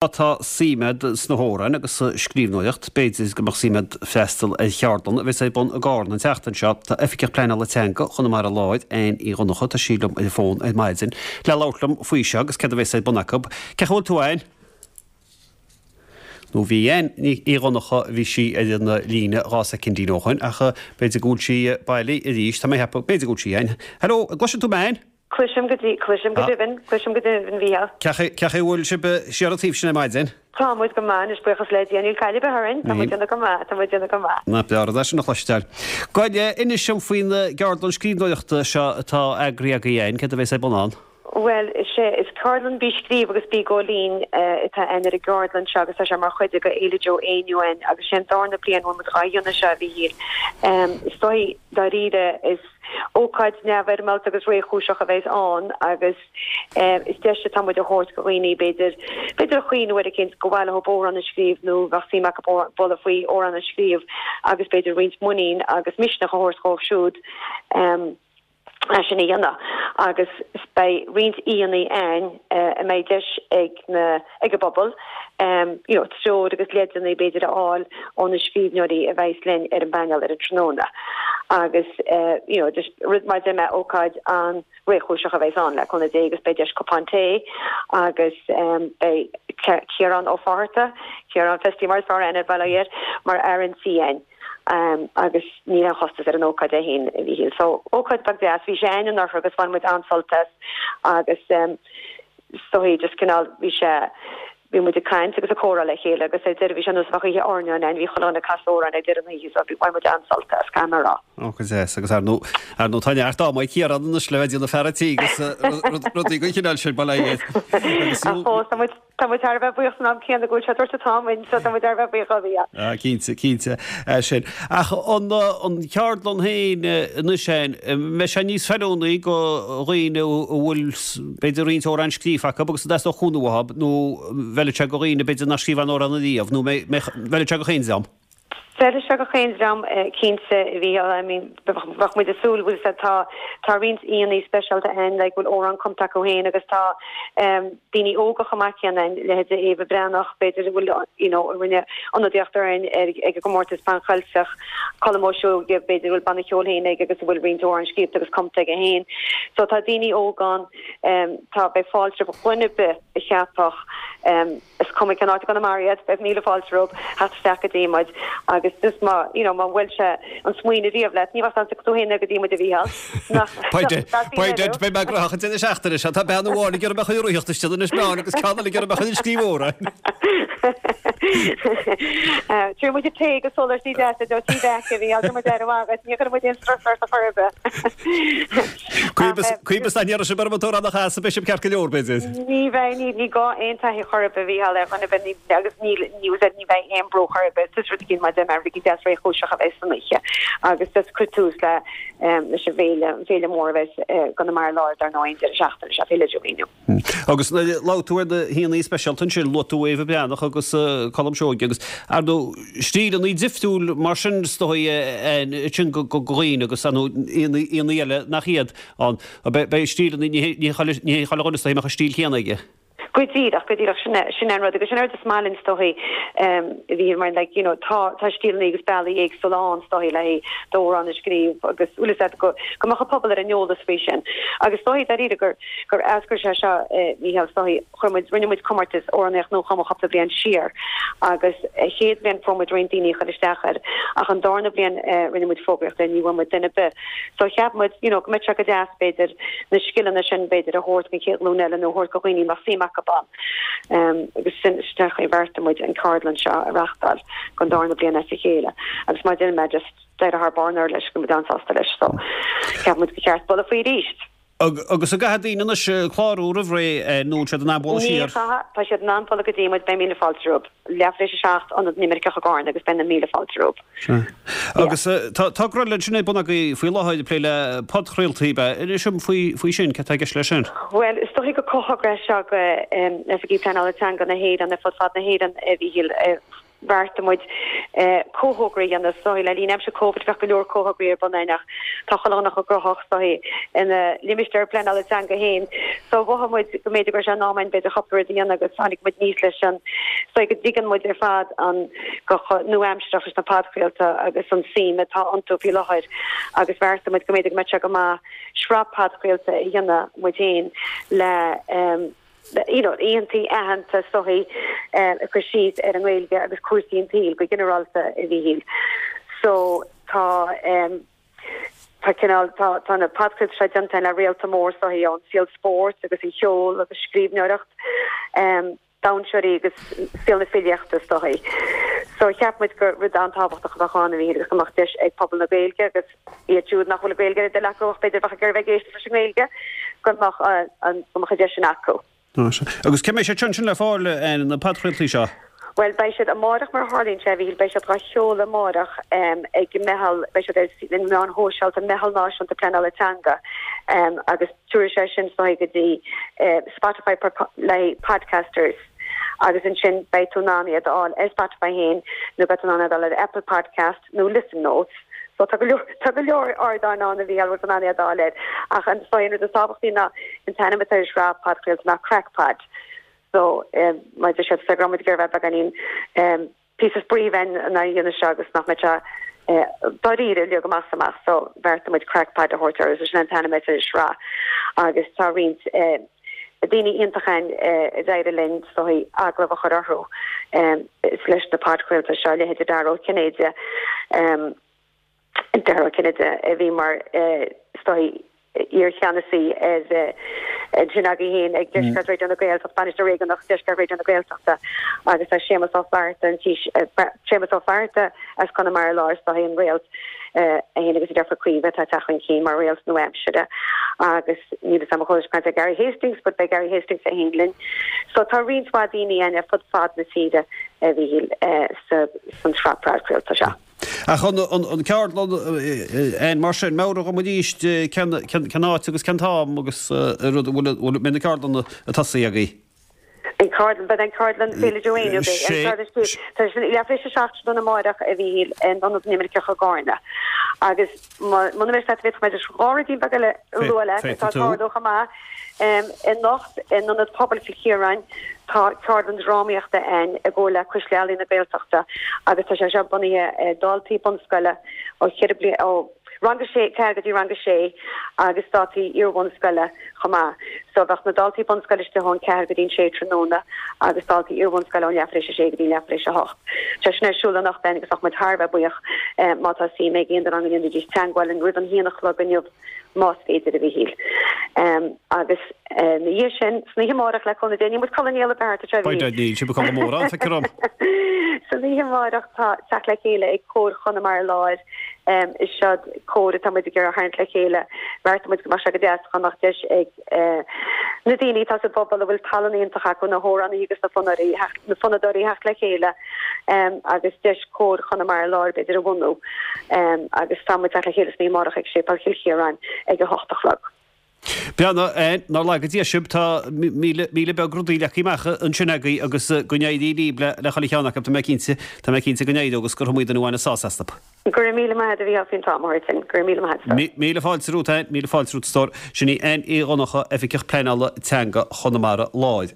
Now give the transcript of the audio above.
Tá suim a'd sna hamhráin agus sa scríbhneoireacht, b'fhéidir go mbeadh suim a'd freastal ar cheardlann a bheas ar bun i gCarna an tseachtain seo. Tá Oifigeach Pleanála Teanga Chonamara Láir, Anne Uí Dhonncha, tá sí liom ar an bhfón ar maidin le labhairt liom faoi seo agus céard a bheas ar bun acu. Cén chaoi a bhfuil tú, Anne? Nó bhí Anne Uí Dhonncha, bhí sí ar an líne 2 soicindín ó shoin ach b'fhéidir go bhfuil sí bailí arís, tá mé ag ceapadh, b'fhéidir go bhfuil sí, Anne. Hello, an gcloiseann tú mé, Anne? Cloisim go, cloisim go deimhin, cloisim go deimhin, a Mhícheáil. Cén chaoi a bhfuil sibh siar an taobh sin ar maidin? Tá muid go maith anois, buíochas le Dia, níl caill ar bith orainn, tá muid déanamh go maith, tá muid déanamh go maith. Nach breá an rud é sin a chloisteáil. Gabh i leith, inis dom faoin gceardlann scríbhneoireachta seo atá eagraithe agaibh, Anne, céard a bheas ar bun ann? Bhuel, is é, is ceardlann Bí Scríobh agus Bí Ag Ól Linn atá ann ar an gceardlann seo agus tá sé mar chuid de Fhéile Joe Éinniú ann agus sé an darna bliain a bhfuil muid dhá dhéanamh seo, a Mhíchíl. Is dóigh, dáiríre, is. Ócáid neamhfhoirmeálta agus réchúiseach a bheas ann agus is deis atá muid a thabhairt do dhaoine b'fhéidir, b'fhéidir a chuimhneamh uair eicínt gur mhaith leo amhrán a scríobh nó bheadh suim acu bualadh faoi amhrán a scríobh agus b'fhéidir roinnt muinín agus misneach a thabhairt dhóibh siúd é sin a dhéanamh agus beidh roinnt aíonna ann a mbeidh deis ag na ag an bpobal you know treoir agus leideanna b'fhéidir a fháil ó na scríbhneoirí a bheas linn ar an bpainéal ar an tráthnóna agus you know just rud mar a deir mé ócáid an-réchúiseach a bheas ann le cúnamh Dé agus beidh deis cupán tae agus beidh Ciarán Ó Fátharta, Ciarán Festy mar is fearr aithne ar baile air, mar fhear an tí ann agus níl aon chostas ar an ócáid é féin a Mhíchíl. So ócáid beag deas, bhí sé ann anuraidh agus bhain muid an-sult as agus Is dóigh, just cineál, bhí sé, bhí muid ag caint agus ag comhrá le chéile agus ar deireadh bhí sé ar nós a bheadh oíche airneáin ann, bhí chuile dhuine ag casadh amhráin ag deireadh na hoíche so bhí, bhain muid an-sult as, caithfidh mé a rá. Ó, go deas. Agus ar ndóigh, ar ndóigh tá neart ama ag Ciarán anois le bheith ag déanamh fear an tí agus rudaí den chineál sin, bail ó Dhia air. Agus Ach fós, tá muid, Tá muid thar a bheith buíoch san am céanna go bhfuil sé ag tabhairt an t-am dúinn so tá muid thar a bheith buíoch dó, yeah. Ah, cinnte, cinnte, é sin. Ach an, an cheardlann féin anois féin, mbeidh sé níos feiliúnaí go dhaoine a bhfuil b'fhéidir roinnt amhrán scríofa acu agus a dteastódh cúnamh uathu nó bhfeilfeadh sé go dhaoine b'fhéidir nach scríobh aon amhrán ariamh nó bhfeilfeadh sé go chaon dream? Feilfidh sé go chaon dream cinnte, a Mhícheáil. I mean bheadh muid ag súil, bhfuil fhios a'd, tá tá roinnt aíonna speisialta ann like bhfuil amhrán cumtha acu féin agus tá daoine óga chomh maith céanna ann, leithéide Éabha Breathnach b'fhéidir a bhfuil you know a rinne ionadaíocht orainn ar ag an gcomórtas Pan Cheilteach, Colm Ó Seoige b'fhéidir a bhfuil banna ceoil féin aige agus a bhfuil roinnt amhrán scríobhta agus cumtha aige féin. So tá daoine óga ann, tá beidh fáilte roimh dhuine ar bith a cheapfadh Is cuma cén áit i gConamara iad, beidh míle fáilte rompu theacht isteach go dtí muid agus just má, you know, má bhuail sé an smaoineamh riamh leat, ní bheadh ann tú féin go dtí muid a Mhícheáil. Nach, Beidh, beidh mé gnóthach an deireadh seachtaine seo, tá bean amháin ag iarraidh mé a chur ag reathaíocht istigh in Inis Meáin agus ceann eile ag iarraidh mé a chur ag scríobh amhráin. Tabharfaidh muid tae agus sóláistí deasa do tí bheaice a Mhícheáil, tá muid ar an mhaith, ní chuirfidh muid aon strus ort a chor ar bith. Coimheas nach ndéarfaidh sibh orm an t-amhrán a chasadh, beidh sibh ceart go leor, b'fhéidir. Ní bheidh, ní, ní gá aon taithí chor ar bith a Mhícheáil ar dhuine ar bith, ní, agus níl, ní, ní bheidh aon brú chor ar bith, just rud eicínt mar a deir mé, rud eicínt deas réchúiseach a bheidh san oíche agus just cur tús le, leis an bhféile, an féile mór a bheidh i gConamara Láir dar ndóigh an deireadh seachtaine seo, Féile Joe Éinniú. Agus nuair a labhair tú ar na haíonna speisialta ansin, luaigh tú Éabha Breathnach agus Colm Seoige agus, ar ndóigh, stíleanna difriúil mar sin is dóigh ansin go dhaoine agus ar ndóigh aíonna eile nach iad ann. Beidh stíleanna, ní hé chuile dhuine is dóigh a mbeadh an stíl chéanna aige. Go díreach, go díreach, sin é, sin é an rud agus sin é an rud is maith linn is dóigh a bhí mar like you know tá, tá stíleanna agus bealaí éagsúla ann is dóigh le haghaidh d'amhrán a scríobh agus bhfuil fhios a'd go, go mbeadh an pobal ar an eolas faoi sin. Agus is dóigh dáiríre gur, gur eascair sé seo Mícheál is dóigh chuir muid, rinne muid comórtas amhránaíocht nuachumtha cúpla bliain siar agus an chéad bhliain fuair muid roinnt daoine a chuir isteach air ach an darna bliain rinne muid fógraíocht air ní bhfuair muid duine ar bith. So cheap muid, you know, go mbeadh sé go deas, b'fhéidir, na scileanna sin, b'fhéidir, a thabhairt don chéad ghlúin eile nó a thabhairt do dhaoine a mbeadh suim acu ann. Agus sin, sin an chaoi a bheartaigh muid an ceardlann seo a reachtáil don darna bliain as a chéile. Agus mar a deir mé, just d'éirigh thar barr anuraidh leis, go raibh muid an-sásta leis. So cheap muid gur cheart bualadh faoi arís. Agus an gcaithfidh daoine anois clárú roimh ré nó an bhfuil siad in ann bualadh Ní siar? chaithfidh, tá siad in ann bualadh go dtí muid, beidh míle fáilte rompu. Leath tar éis a 7, Ionad na nImirceach i gCarna agus beidh na míle fáilte rompu. Sea. Agus tá togra eile ansin ar bun agaibh faoi láthair ag plé le podchraoltaí, ab ea? Inis dom faoi faoi sin, cad tá i gceist leis sin? Bhuel, is dóigh gur comhthogra é seo go Oifigí Pleanála Teanga na hÉireann ar fud fad na hÉireann, a Mhíchíl. bheartaigh muid comhthogra a dhéanamh is dóigh le linn aimsir Covid bheadh go leor comhthograí ar bun againn ach tá chuile dhuine chomh gnóthach is dóigh ina limistéar pleanála teanga féin so mhothaigh muid go mb'fhéidir go raibh sé in am againn b'fhéidir cúpla rud a dhéanamh agus tháinig muid aníos leis an is dóigh go dtuigeann muid ar fad an go chomh nua-aimsearach leis na podchraolta agus an suim atá iontu faoi láthair agus bheartaigh muid go mb'fhéidir go mbeadh sé go maith sraith podchraolta a dhéanamh muid féin le you know aíonna aitheanta is dóigh ag cur síos ar an nGaeilge agus cúrsaí an tsaoil go ginearálta a Mhíchíl. So tá tá cineál tá tá na podchraolta seo déanta le réalta mór is dóigh ón saol spóirt agus an cheoil agus scríbhneoireacht. Dainséirí agus saol na filíochta is dóigh. So cheap muid gur rud an-tábhachtach a bheadh ann a Mhíchíl agus go mbeadh deis ag pobal na Gaeilge agus iad siúd nach bhfuil an Ghaeilge ar a dtoil acu ach b'fhéidir a bheadh ag iarraidh bheith ag éisteacht leis an nGaeilge, go mbeadh an go mbeadh an deis sin acu. Agus cá mbeidh siad sin le fáil, na podchraoltaí seo? Bhuel, beidh siad amárach mar a tharlaíonn sé, a Mhíchíl, beidh siad dhá sheoladh amárach ag Meitheal, beidh siad ar na meáin shóisialta, Meitheal Náisiúnta Pleanála Teanga agus tabharfaidh sé sin is dóigh go dtí Spotify le podcasters agus ansin beidh tú in ann iad a fháil ar Spotify féin nó beidh tú in ann iad a fháil ar Apple Podcast nó Listen Notes. So tá go leor, tá go leor ardáin ann a Mhíchíl a bhfuil tú in ann iad a fháil air. Ach an, is dóigh an rud is tábhachtaí ná an t-ainm atá ar an sraith podchraolta ná Craic Pod. So mar a deir siad, go raibh muid ag iarraidh bheith beagáinín píosa spraoi a bheith ina dhéanamh seo agus nach mbeadh sé dáiríre uilig amach is amach so bheartaigh muid Craic Pod a thabhairt air agus sin an t-ainm atá ar an sraith agus tá roinnt daoine iontacha ann a d'éirigh linn is dóigh agallamh a chur orthu leis na podchraolta seo, leithéide Dara Ó Cinnéide. Dara Ó Cinnéide, a bhí mar, is dóigh, iar-cheannasaí ar ansin agaibh féin ag Deisceart Raidió na Gaeltachta, Bainisteoir Réigiúnach Deisceart Raidió na Gaeltachta agus tá Séamus Ó Flatharta, an Séamus Ó Flatharta as Conamara Láir, is dóigh, an réalt é féin agus a deirfiúr Caoimhe atá ag teacht chun cinn mar réalt nua-aimsire agus níl fhios agam an chuala sibh caint ar Gary Hastings but beidh Gary Hastings é féin linn. So tá roinnt mhaith daoine ann ar fud fad na tíre a Mhíchíl san tsraith podchraolta seo. Ach an ceardlann, Ann, mar sin, meabhraigh dhom arís cén áit agus cén t-am agus rud, an bhfuil, mbeidh na ceardlanna ag tosaí agaibh? An ceardlann, beidh an ceardlann Féile Joe Éinniú, beidh an ceardlann Sé, tá sé leathuair tar éis a 7 tráthnóna amárach a Mhíchíl in Ionad na nImirceach i gCarna. Agus muna mbeidh sé, féadfaidh mé just dhá ruidín beag eile a lua leat atá ag tarlú chomh maith. Anocht in Ionad Pobail Chill Chiaráin tá ceardlann drámaíochta ann i gcomhar le Cuisle Ealaíon na Gaeltachta agus tá sé seo bunaithe ar dhaltaí bunscoile ó cheithre bliana, ó rang a sé, 4 go dtí rang a sé agus daltaí iarbhunscoile chomh maith. So bheadh na daltaí bunscoile istigh ón 4 go dtí an 6 tráthnóna agus daltaí iarbhunscoile ón leathuair tar éis a sé go dtí leathuair tar éis a hocht. Tá sin ar siúl anocht ann agus bheadh muid thar a bheith buíoch má tá suim ag aon duine ann go ndéanfaidís teagmháil linn roimh an haon a chlog inniu. más féidir, a Mhíchíl. Agus ina dhiaidh sin, san oíche amárach le cúnamh Dé, níl muid ag codladh néal ar bith thart anseo, a Mhíchíl. Níl sibh ag codladh mórán, feictear dom. San oíche amárach tá teacht le chéile ag Comhar Chonamara Láir. Is seo comhar atá muid ag iarraidh a tharraingt le chéile. Bheartaigh muid go mbeadh sé go deas dá mbeadh deis ag na daoine atá sa bpobal a bhfuil tallann iontach acu, na hamhránaithe agus na fonnadóirí, na fonnadóirí theacht le chéile agus deis Comhar Chonamara Láir b'fhéidir a bhunú agus tá muid teacht le chéile san oíche amárach ag Séipéal Chill Chiaráin ag 8 a chlog. Breathnaigh, nár laga Dia sibh, tá míle, míle beag rudaí leagtha amach ansin agaibh agus go n-éirí libh le chuile cheann acu, tá mé cinnte, tá mé cinnte go n-éireoidh agus gur iomaí duine a bhaineas sásamh astu. Go raibh míle maith agat a Mhícheál faoin t-am a thabhairt dúinn. Go raibh míle maith agat. Míle fáilte romhat, Ann, míle fáilte romhat a stór. Sin í Ann Uí Dhonnchadha, Oifigeach Pleanála Teanga Chonamara Láir.